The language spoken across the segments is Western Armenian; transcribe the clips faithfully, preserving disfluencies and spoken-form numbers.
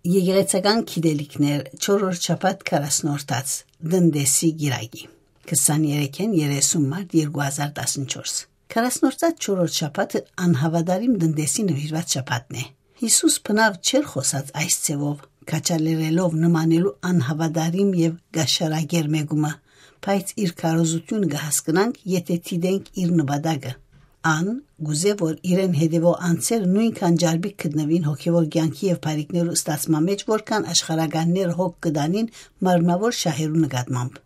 Եկեղեցական գիտելիքներ, չորրորդ շաբաթ, քառասնորդաց, տնտեսի գիրագի, քսաներեքէն երեսուն մարտ երկու հազար տասնչորս։ Քառասնորդաց չորրորդ շաբաթը անհաւատարիմ տնտեսի նուիրուած շաբաթն է։ Յիսուս բնաւ չէր խօսած այս ձեւով, քաջալերելով նմանելու անհաւատարիմ եւ գաշարագեր մեկումը, բայց իր քարոզութիւնը կը հասկնանք, եթէ դիտենք իր նպատակը։ Ան կ'ուզէ, որ իրեն հետեւող անձեր նոյնքան ճարպիկ գտնուին հոգեւոր կեանքի եւ բարիքներու ստացման մէջ, որքան աշխարհականները հոգ կը տանին մարմնաւոր շահերու նկատմամբ։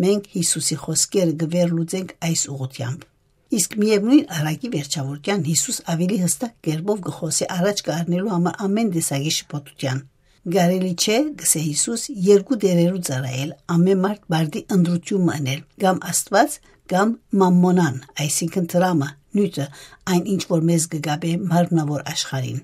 Մենք Յիսուսի խօսքերը կը վերլուծենք այս ուղղութեամբ։ Իսկ միեւնոյն առակի վերջաւորութեան Յիսուս աւելի յստակ կերպով կը խօսէ առաջ կը առնելու համար ամէն տեսակի շփոթութեան։ «Կարելի չէ, կ'ըսէ Յիսուս, երկու տէրերու ծառայել, ամէն մարդ պարտի ընտրութիւն մը ընել, կամ Աստուած, կամ մամմոնան, այսինքն՝ դրամը, նիւթը, այն ինչ որ մեզ կը կապէ մարմնաւոր աշխարհին»։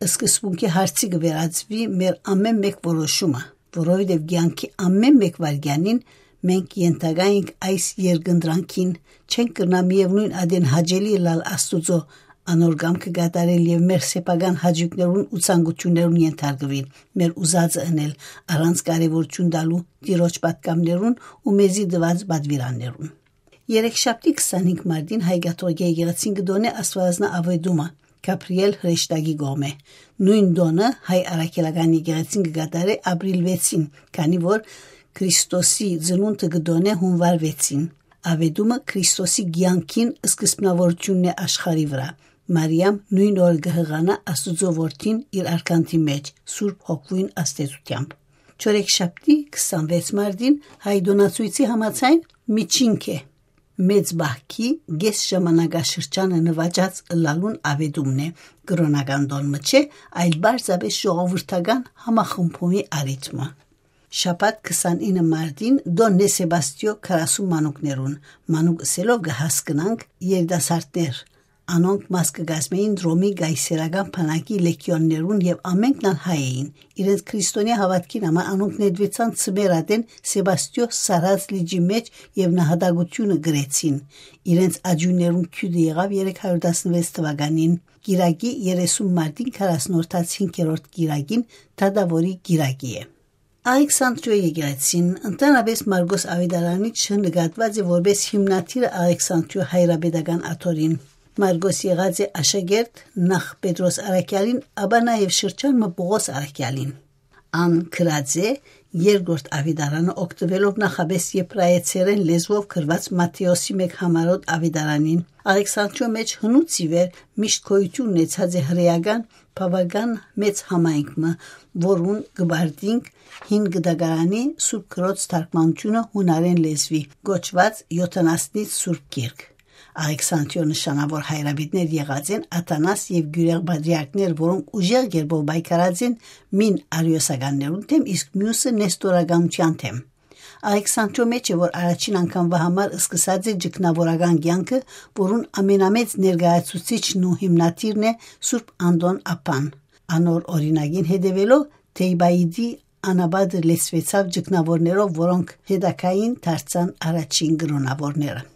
Սկզբունքի հարցի կը վերածուի մեր ամէն մէկ որոշումը, որովհետեւ կեանքի ամէն մէկ վայրկեանին մենք ենթակայ ենք այս երկընտրանքին, չենք կրնայ միեւնոյն ատեն հաճելի ըլլալ Աստուծոյ, անոր կամքը կատարել եւ մեր սեփական հաճոյքներուն ու ցանկութիւններուն ենթարկուիլ, մեր ուզածը ընել, առանց կարեւորութիւն տալու Տիրոջ պատգամներուն ու մեզի տուած պատուիրաններուն։ Երեքշաբթի, քսանհինգ մարտին, Հայ կաթողիկէ եկեղեցին կը տօնէ Աստուածնա Աւետումը Գաբրիէլ հրեշտակի կողմէ։ Նոյն տօնը Հայ առաքելական եկեղեցին կը կատարէ ապրիլ վեցին, քանի որ Քրիստոսի ծնունդը կը տօնէ յունուար վեցին։ Աւետումը Քրիստոսի կեանքին սկզբնաւորութիւնն է աշխարհի վրայ։ Մարիամ նոյն օրը կը յղանայ Աստուծոյ որդին իր արկանդի մէջ, Սուրբ Հոգւոյն ազդեցութեամբ։ Չորեքշաբթի, քսանվեց մարտին, Հայ տօնացոյցի համաձայն, միջինք է։ Մեծ պահքի կէս ժամանակաշրջանը նուաճած ըլլալուն աւետումն է, կրօնական տօն մը չէ, այլ պարզապէս ժողովրդական համախմբումի առիթ մը։ Շաբաթ, քսանինը մարտին, տօնն է Սեբաստիոյ քառասուն մանուկներուն։ Մանուկ ըսելով կը հասկնանք երիտասարդներ։ Անոնք մաս կը կազմէին Ռոմի կայսերական բանակի լեգիոններուն եւ ամէնքն ալ հայ էին։ Իրենց քրիստոնեայ հաւատքին համար անոնք նետուեցան ձմեռ ատեն Սեբաստիոյ սառած լիճի մէջ եւ նահատակութիւնը կրեցին։ Իրենց աճիւններուն գիւտը եղաւ երեք հարիւր տասնվեց թուականին, կիրակի, երեսուն մարտին, քառասնորդաց հինգերորդ կիրակին, դատաւորի կիրակի է։ Ալեքսանդրիոյ եկեղեցին, ընդհանրապէս Մարգոս Աւետարանիչը, նկատուած է որպէս հիմնադիրը Ալեքսանդրիոյ հայրապետական աթոռին։ Մարգոս եղած է աշակերտ նախ Պետրոս Առաքեալին, ապա նաեւ շրջան մը Պօղոս Առաքեալին։ Ան գրած է երկրորդ Աւետարանը, օգտուելով նախապէս եբրայեցերէն լեզուով գրուած Մատթէոսի մէկ համառօտ Աւետարանին։ Ալեքսանդրիոյ մէջ հնուց ի վեր միշտ գոյութիւն ունեցած է հրեական բաւական մեծ համայնք մը, որուն կը պարտինք հին կտակարանի Սուրբ Գրոց թարգմանութիւնը յունարէն լեզուի, կոչուած Յոթանասնից Սուրբ Գիրք։ Ալեքսանդրիոյ նշանաւոր հայրապետներ եղած են Աթանաս եւ Գիւրիղ պատրիարքներ, որոնք ուժեղ կերպով պայքարած են մին արիոսականներուն դէմ, իսկ միւսը՝ նեստորականութեան դէմ։ Ալեքսանդրիոյ մէջ է, որ առաջին անգամվա համար սկսած է ճգնաւորական կեանքը, որուն ամենամեծ ներկայացուցիչն ու հիմնադիրն է Սուրբ Անտոն Աբան։ Անոր օրինակին հետեւելով, Թեյբայիտի անապատը լեցուեցաւ ճգնաւորներով, որոնք հետագային դարձան առաջին կրօնաւորները։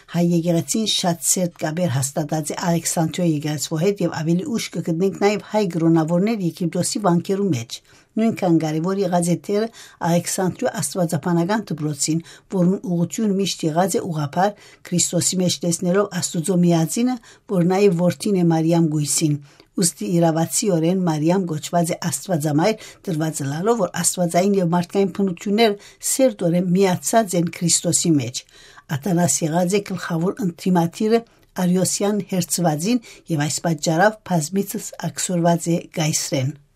Հայ եկեղեցին շատ սերտ կապեր հաստատած է Ալեքսանդրիոյ եկեղեցւոյ հետ եւ աւելի ուշ կը գտնենք նաեւ հայ կրօնաւորներ Եգիպտոսի վանքերու մէջ։ Նոյնքան կարեւոր եղած է դերը Ալեքսանդրիոյ աստուածաբանական դպրոցին, որուն ուղղութիւնը միշտ եղած է ուղղափառ, Քրիստոսի մէջ տեսնելով Աստուծոյ միածինը, որ նաեւ որդին է Մարիամ կոյսին։ Ուստի իրաւացիորեն Մարիամ կոչուած է Աստուածամայր, տրուած ըլլալով, որ աստուածային եւ մարդկային բնութիւններ սերտօրեն միացած են Քրիստոսի մէջ։ Աթանաս եղած է գլխաւոր ընդդիմադիրը արիոսեան հերձուածին եւ այս պատճառով բազմիցս աքսորուած է կայսրէն։